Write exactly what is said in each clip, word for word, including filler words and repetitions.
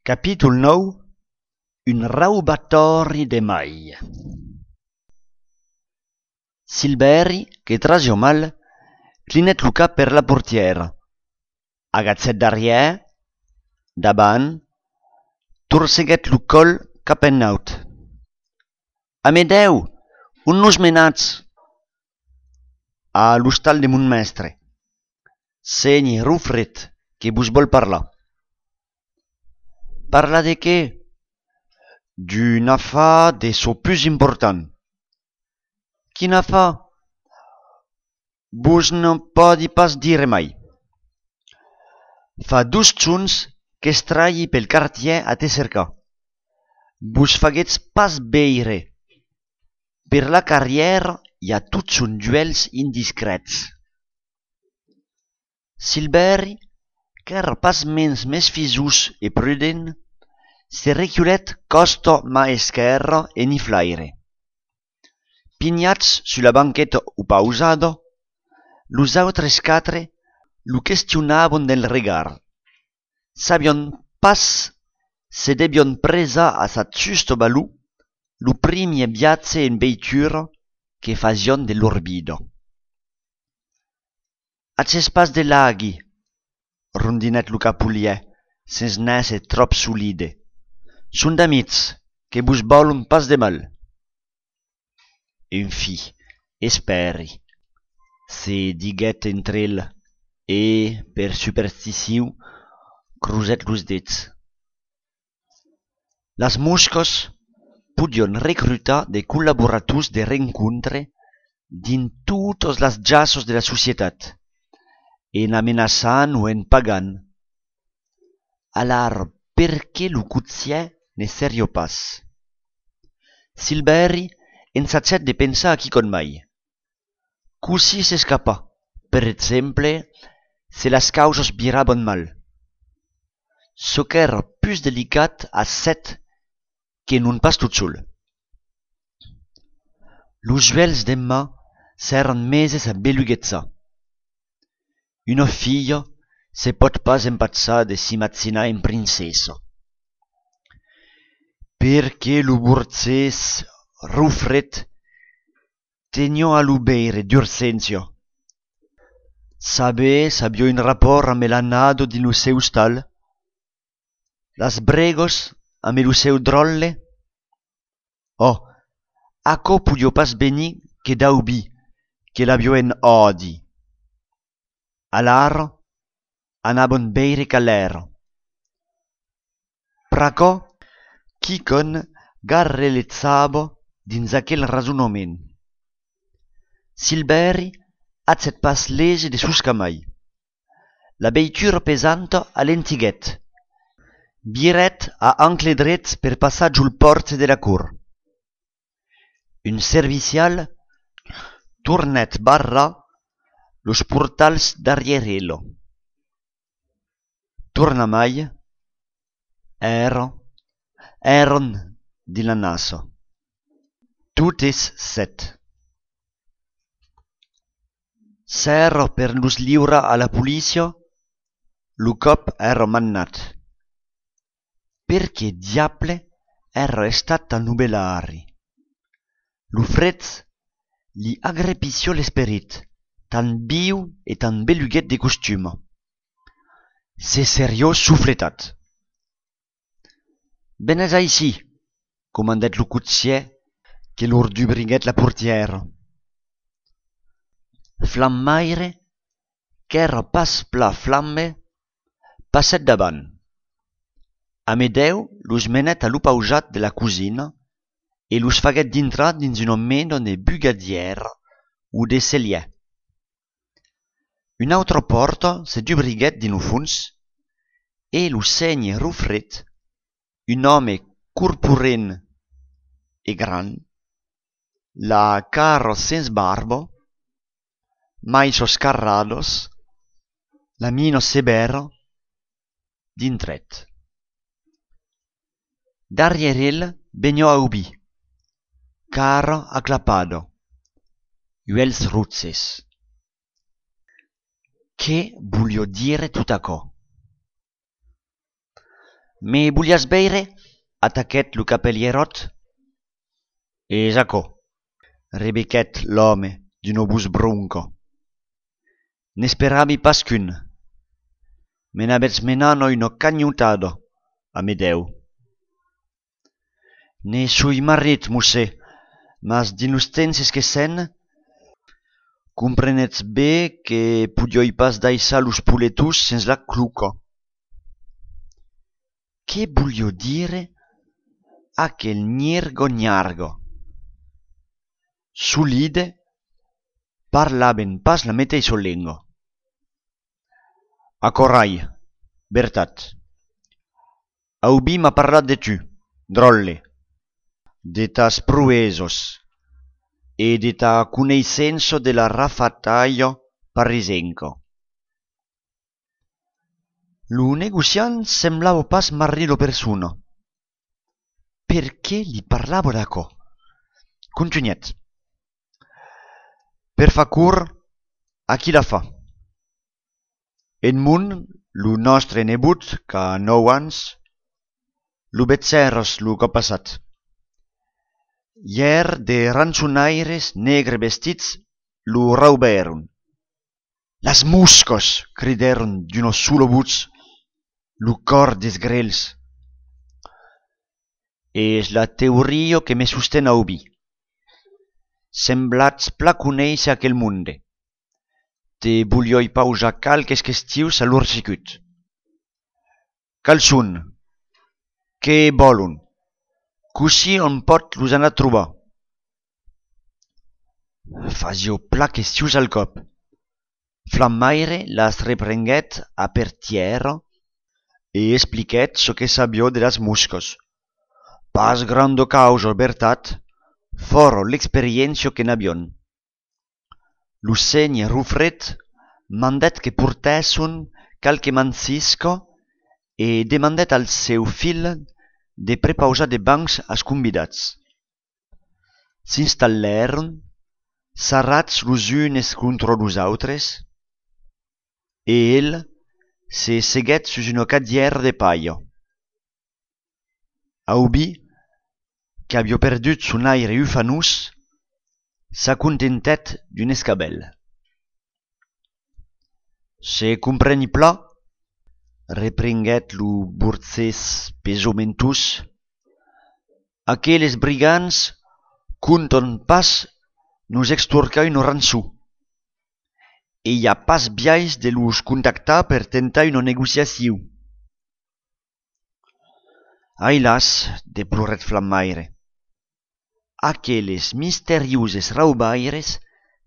Capítol nou. Un raubatori de mai. Silveri, che trasio mal, clinet lo cap per la portiera. Agatzet darrière, davant, torseguet lo col cap ennaut. Amedeu, on nos menats? A l'hostal de mon mestre. Senyi Rufret, que vos vol parlar. Parla de què? D'un affaire de so plus important. Quin affaire? Vos non podi pas dire mai. Fa dus tons qu'es trahi pel quartier a te cercar. Vos faguetz pas beire. Per la carrière hi ha tots son duels indiscrets. Silveri, qu'èr pas mens mes fisus e prudent, se reculet costo ma esquerra e niflaire. Pignats sulla banqueta upausado, los autres quatre lo questionavon del regard. Sabion pas se debion presa a sa justo valù lo primie viatge en veitura que fazion de l'orbido. Aces pas de laghi, rondinet lo capulier, sens nese trop solide. Son d'amics, que vos volon pas de mal. En fi, esperi, se diguet entre el, e, per superstició, cruzet los dits. Las moscos podion recrutar de collaborators de rencontre din totes las jassos de la societat, en amenaçant o en pagant. Alar, per què lo cotzier ne serio pas? Silveri ensacet de pensar a quicon mai. Così s'escapa, per exemple, se las causes viraban mal. So qu'èr plus delicat a set que non pas tot sol. Los duels d'Emma s'èran meses a beluguetzar. Una filla se pot pas empatzar de s'imagzinar en princessa. Perché lo burzès Rufret tenió a lo beire d'urgència. Sabe s'avió un rapport amb l'anado din lo seu stal? Las bregos amb lo seu drolle? Oh, aquò podio pas venir que daubi que l'avió en odi. Alar anabon beire calèr. Pr'aquò, quicon garreletzava dins aquel rasonament. Silveri atzet pas lese de sus camai. La veitura pesanta a l'entiguet. Biret a ancle drets per passar giul porte de la cur. Un servicial tornet barra los portals darrierelo. Torna mai, era, eron di la nasa. Totes set. S'era per los liura a la policia, lo cop era mannat. Perché diable era estat tan nubelari? Lo frez li agrepició l'esperit, tan viu e tan beluguet de costuma. Se seriò sufletat. Venez aici, comandet lo cotzier, que lor dubriguet la portiera. Flammaire, qu'èra pas pla flamme, passet davant. Amedeu los menet a lo pausat de la cosina e los faguet dintrar dins una mena de bugadiera o de celier. Una autra porta se dubriguet din o fons e lo senyi Rufret, un home corpulent e gran, la cara sens barba, mai soscarrados, la mino severa, dintret. Darriere el vegniò a ubi, cara aclappado, uels ruzzes. Che voglio dire tut aquò? Me volias beire? Ataquèt lo capelierot. E aquò, rebequèt l'òme d'un obús bronco. N'esperavi pas qu'un. Me n'abetz menado una cagnotado, Amedeu. Ne sui marit, mossè, mas dinos temps esquessent, comprenetz bé que podioi pas daissar los puletus sens la cluca. Che voglio dire aquel gnirgo-gnargo? Solide, parlaven pas la meteissa lengua. Acorai, vertat. Aubi m'ha parlat de tu, drolle, de tas pruesos e de ta coneissença de la rafataia parisenca. Lo negociant semblava pas marrir lo persona. Perché li parlavo d'acò? Continuèt. Per fa cur, a qui la fa? Edmund, lo nostre nebut, qu'a nou ans, lo betzèrros lo cop passat. Hier de rançonaires negre vestits lo raubèron. Las muscos, cridèron d'una sola voz lo cor des grèls. És la teoria que me sostén aubi. Semblatz pla conéisser aquel monde. Te volioi pausar calques questius a l'orsicut. Cal son? Què volon? Cosí on pot los anar a trobar. Fasio pla questius al cop. Flammaire las reprenguèt a per tierra e expliquèt çò que sabio de las muscos. Pas grande causa, vertat, fora l'experiència que n'avion. Lo seny Rufret mandèt que portèsson calque mancisca e demandèt al seu fil de prepausar de bancs als convidats. S'instal·lèron, sarrats los unes contra los autres, e el se seguèt sus una cadièra de paia. Aubi, que havia perdut son aire ufanus, s'acontentèt d'un escabel. Se compreni pla, reprenguèt lo borcès pesomentós, aqueles brigants conton pas nos extorcar una rançó, e i ha pas biais de los contactar per tentar una negociació. Ai las, deplorèt Flammaire, aqueles misteriuses raubaires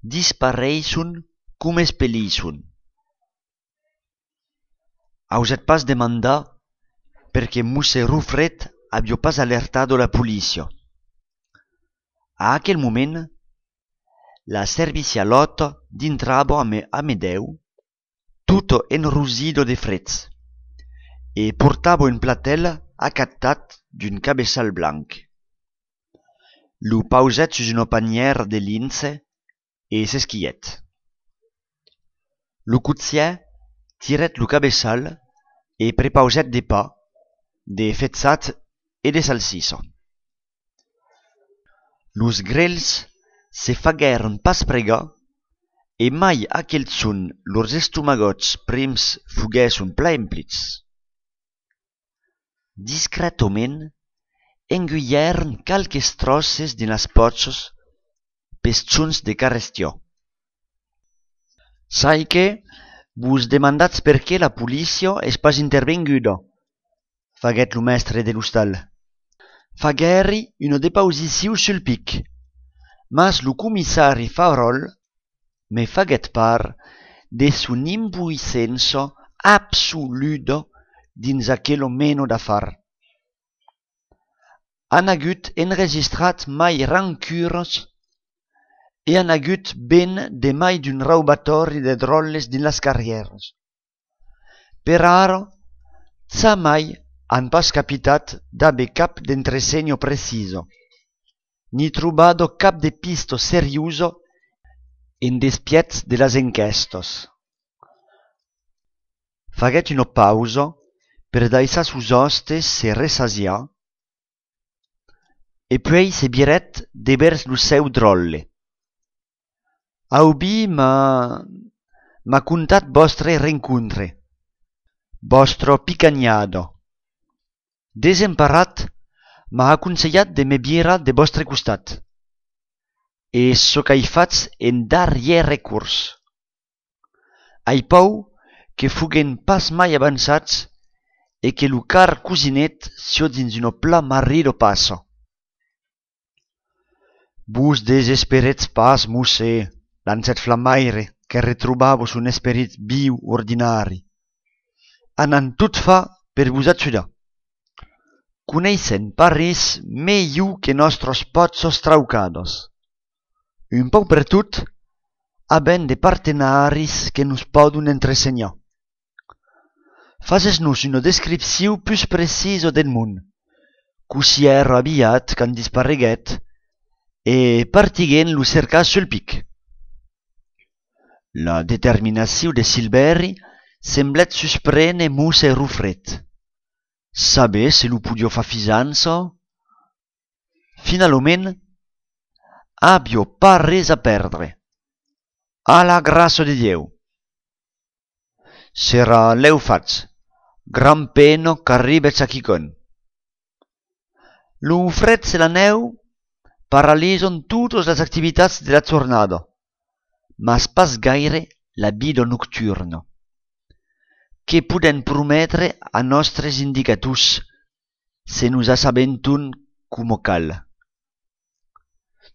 dispareisson com espelisson. Ausèt pas demandar perché mosse Rufret havia pas alertado la policia. A aquel moment, la servicialota dintrava a Amedeu, tutto enrosido de freds, e portava un platel acatat d'un cabeçal blanc. Lo pausèt sus una panièra de lince e s'esquièt. Lo cotsièr tirèt lo cabeçal e prepausèt de pa, de fetzat e de salsissa. Los grèls se faguèron pas pregar e mai aquel son lors estomagots prims fuguèsson pla emplits. Discretament enguièron calques trosses dinas potzos pestzons de carrestió. Sai que vos demandatz perqué la policia és pas intervenguda, faguèt lo mestre de l'ostal. Faguèri una depausiciu sul pic, mas lo comissari Favrol me faguèt par de son impuissença absoluda dins aquelo meno d'afar. Han agut enregistrat mai rancures e han agut ben de mai d'un raubatori de drolles din las carrieres. Per ara, za mai han pas capitat d'abe cap d'entresegno preciso, ni trobado cap de pisto seriuso en despiez de las enquestos. Faguèt una pausa per daïssa sus hostes se resasia, e puei se biret debers lu seu drolle. Aubi ma... m'ha contat vostre rencontre, vostro picagnado. Desemparat m'ha aconsellat de me biera de vostre costat, e so qu'ai fatz en darrièr recurs. Ai pau que fuguen pas mai avançats e que lu car cousinet sio dins uno pla marrido passo. Vos desesperetz pas, mosse, lancèt Flammaire, que retrobavos un esperit viu ordinari. Anant tot fa per vos ajudar. Coneissent Paris meglio que nostros pozos traucados. Un pau per tot, habent de partenaris que nos podun entresenhar. Fasesnos una descripció plus preciso del món, cusièro aviat can disparreguet, e partiguent lo cercar sul pic. La determinació de Silveri semblet susprene mosse Rufret. Saber se lo podio fa fisança? Finalment, abio pas res a perdre. A la gràcia de Dieu. Serà leu fatz, gran peno qu'arribetz a quicon. Lo fred e la neu paralisan totes les activitats de la jornada, mas pas gaire la vida nocturna, que poden prometre a nostres indicators se nos assabentum como cal.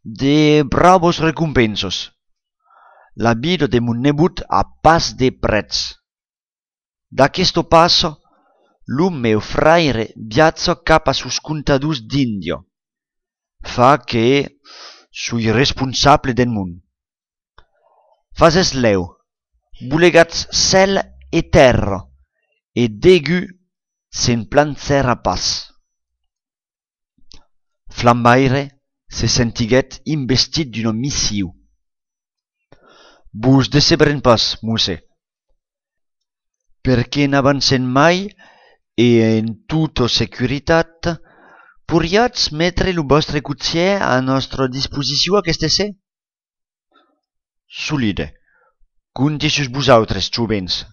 De bravos recompensos. La vida de mon nebut a pas de prets. D'aquesto passo, l'un meu fraire viatja cap a sus contadors d'Indio. Fa que sui responsable del món. Fases leu, bulegats cel e terra, e degu se'n plancer a pas. Flammaire se sentiguet investit d'una missió. Vos decebren pas, mosse, perquè n'avancen mai e en tota securitat poriatz metre lo vostre cotxier a nostra disposició aquest essè? Solide, compti sus vosaltres, jovens.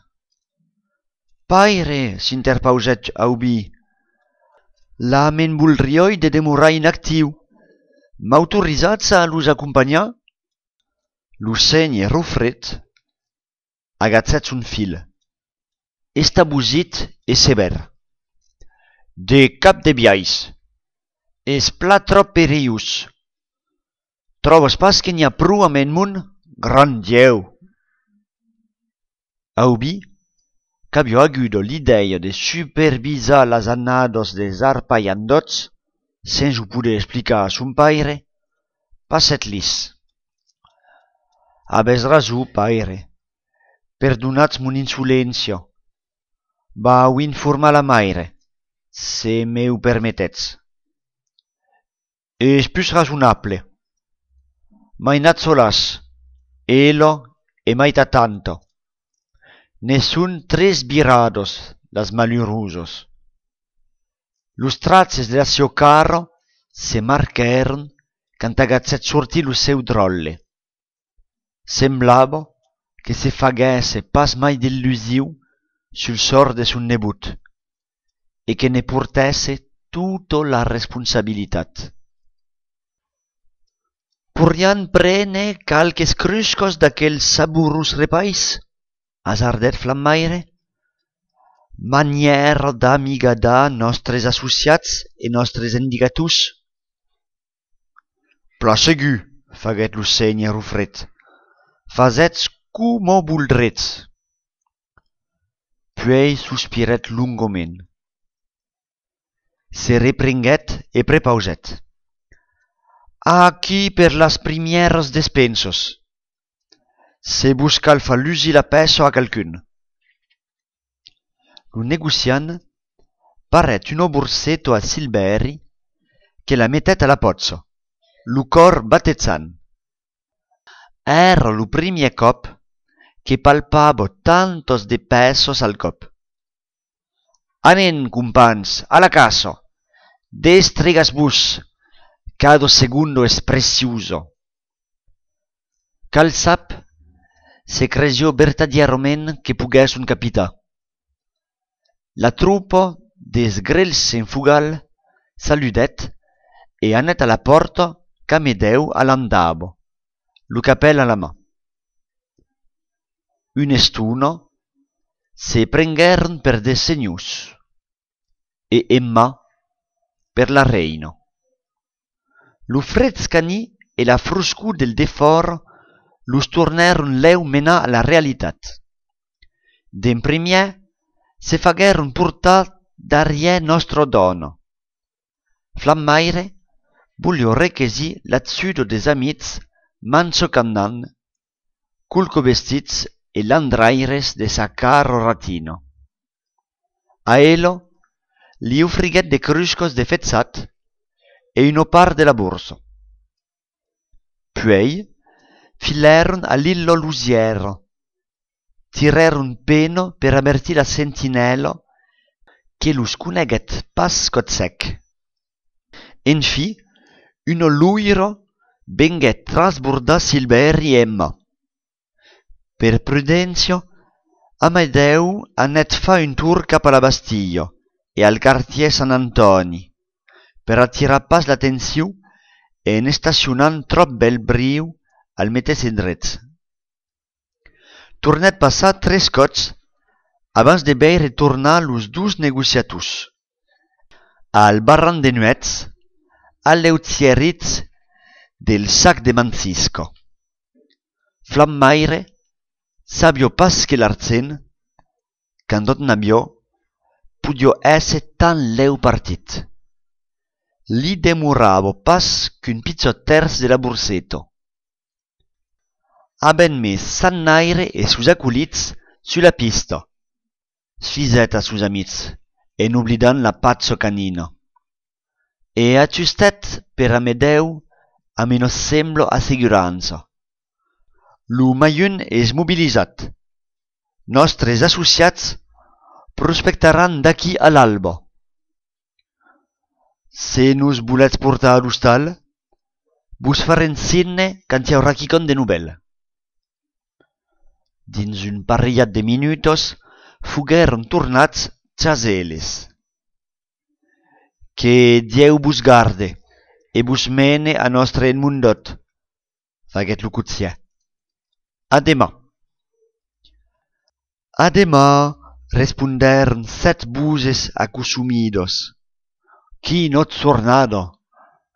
Paire, s'interpausèt Aubi, la me'n voldrioi de demorar inactiu. M'autorizatz a los acompanyar? Lo seny Rufret agatzèt son fil, estabusit e sever. De cap de biais, es pla trop perillós. Trobes pas que n'hi ha prou amb en món? Gran Dieu! Aubi, qu'aviò agudo l'idea de supervisar las annados des arpaiandots, sens ho poder explicar a son paire, passet lis. Habes raso, paire. Perdonatz mon insolència. Vau informar la maire, se me ho permetetz. És plus razonable. M'ai nat solas, elo e maita tanto. Ne sun tres virados las malheurosos. Los traces de la seu carro se marcheron cant agatzèt sortir lo seu drolle. Semblava que se faguesse pas mai d'illusiu sul sort de son nebut e que ne portesse tota la responsabilitat. Porian prene calques cruscos d'aquels saborus repais? Hasardèt Flammaire. Manièra d'amigadar nostres associats e nostres indicators? Pla segur, faguèt lo seny Rufret. Fasetz como voldretz. Puei sospiret lungoment. Se reprenguet e prepausèt. Aquí per las primieres despensos. Se vos cal fa lusi la peso a calcun. Lo negociant paret un borsetto a Silveri che la mettet a la pozza, lo cor battezzant. Era lo primier cop che palpavo tantos de pesos al cop. Anen, compans, a la casa. Destrigas-vos. Cada segundo es precioso. Cal sap se cresió vertadierament que pogués un capità. La troupa des grells en fugal saludet e anet a la porta camedeu a l'andabo, lo capel a la mà. Un estuna se prengueren per des senyors e Emma per la reina. Lo freds cani e la froscur del defort los tornèron lèu menar a la realitat. D'en primièr se faguèron portar darrièr nostra dona. Flammaire voglio requesir l'atsudo des amics manso cannan, culco vestits e landraires de sa caro ratino. A elo li offriguèt de cruscos de fetzat e una part de la borsa. Puei filèron a l'illo Lusiera, tirèron peno per avertir la sentinella che los coneguèt pas cotzèc. Enfi, una luira venguèt trasbordar Silveri e Emma. Per prudència, Amadeu anet fa un tour cap a la Bastiglia e al quartier Sant Antoni, per attirar pas l'atenció e en estacionant trop bel briu al metes endrets. Tornèt passar tres cots abans de veire tornar los dus negociators. Al barran de nuets, alleutzierits del sac de Mancisco. Flammaire sabio pas que l'arcen, quand tot n'aviò, podio esse tan leu partit. Li demoravo pas qu'un pizzot terç de la borsetto. Haben mes Sannaire e sus aculits su la pista, sfisèt a sus amics, en oblidant la pazzo canina. E ajustet per Amedeu a menos semblo asseguranza. Lo maiun es mobilisat. Nostres associats prospectaran d'aquí a l'alba. Se nos voletz portar a l'hostal, vos farem signe quand hi haurà quicon de novel. Dins un parellat de minutos foguèron tornats txaseles. Que Dieu vos garde e vos mene a nostre enmundot, faguèt lo cotsièr. A demà. A demà, respondèron set buses acosumidos. Quina jornada!